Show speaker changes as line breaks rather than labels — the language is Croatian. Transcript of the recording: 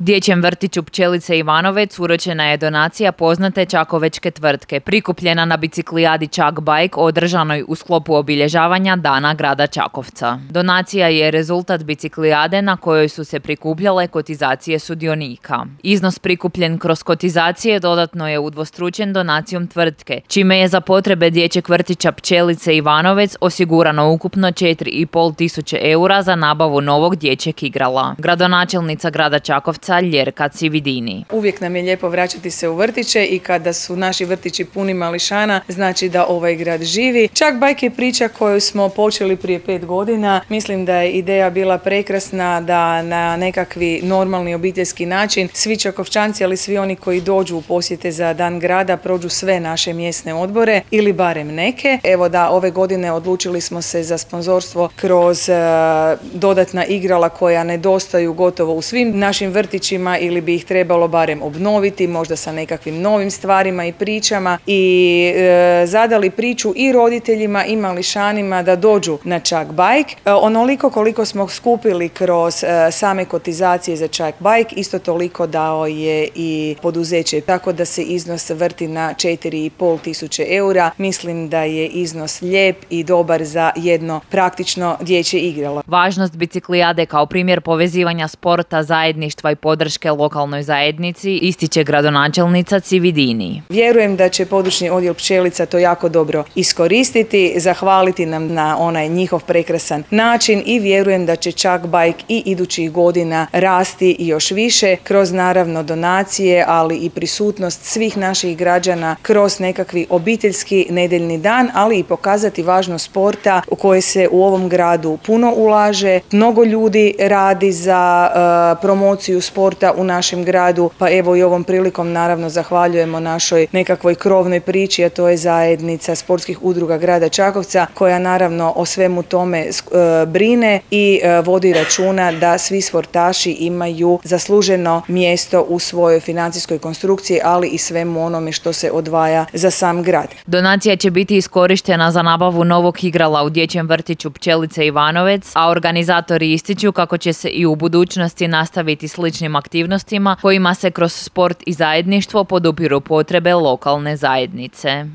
Dječjem vrtiću Pčelice Ivanovec uručena je donacija poznate čakovečke tvrtke, prikupljena na biciklijadi Čak Bike održanoj u sklopu obilježavanja Dana grada Čakovca. Donacija je rezultat biciklijade na kojoj su se prikupljale kotizacije sudionika. Iznos prikupljen kroz kotizacije dodatno je udvostručen donacijom tvrtke, čime je za potrebe dječjeg vrtića Pčelice Ivanovec osigurano ukupno 4,5 tisuće eura za nabavu novog dječjeg igrala. Gradonačelnica grada Čakovca Ljerka Cividini.
Uvijek nam je lijepo vraćati se u vrtiće i kada su naši vrtići puni mališana, znači da ovaj grad živi. Čak Bike je priča koju smo počeli prije 5 godina. Mislim da je ideja bila prekrasna da na nekakvi normalni obiteljski način svi Čakovčanci, ali svi oni koji dođu u posjete za Dan grada prođu sve naše mjesne odbore ili barem neke. Evo da ove godine odlučili smo se za sponzorstvo kroz dodatna igrala koja nedostaju gotovo u svim našim vrtićima ili bi ih trebalo barem obnoviti, možda sa nekakvim novim stvarima i pričama i zadali priču i roditeljima i mališanima da dođu na Čak Bike. Onoliko koliko smo skupili kroz same kotizacije za Čak Bike, isto toliko dao je i poduzeće, tako da se iznos vrti na 4,5 tisuće eura. Mislim da je iznos lijep i dobar za jedno praktično dječje igralo.
Važnost biciklijade kao primjer povezivanja sporta, zajedništva i podrške lokalnoj zajednici ističe gradonačelnica Cividini.
Vjerujem da će područni odjel Pčelica to jako dobro iskoristiti, zahvaliti nam na onaj njihov prekrasan način i vjerujem da će Čak Bike i idućih godina rasti još više kroz naravno donacije, ali i prisutnost svih naših građana kroz nekakvi obiteljski nedeljni dan, ali i pokazati važnost sporta u koje se u ovom gradu puno ulaže. Mnogo ljudi radi za promociju sporta u našem gradu, pa evo i ovom prilikom naravno zahvaljujemo našoj nekakvoj krovnoj priči, a to je zajednica sportskih udruga grada Čakovca koja naravno o svemu tome brine i vodi računa da svi sportaši imaju zasluženo mjesto u svojoj financijskoj konstrukciji, ali i svemu onome što se odvaja za sam grad.
Donacija će biti iskorištena za nabavu novog igrala u dječjem vrtiću Pčelice Ivanovec, a organizatori ističu kako će se i u budućnosti nastaviti sličnim aktivnostima kojima se kroz sport i zajedništvo podupiru potrebe lokalne zajednice.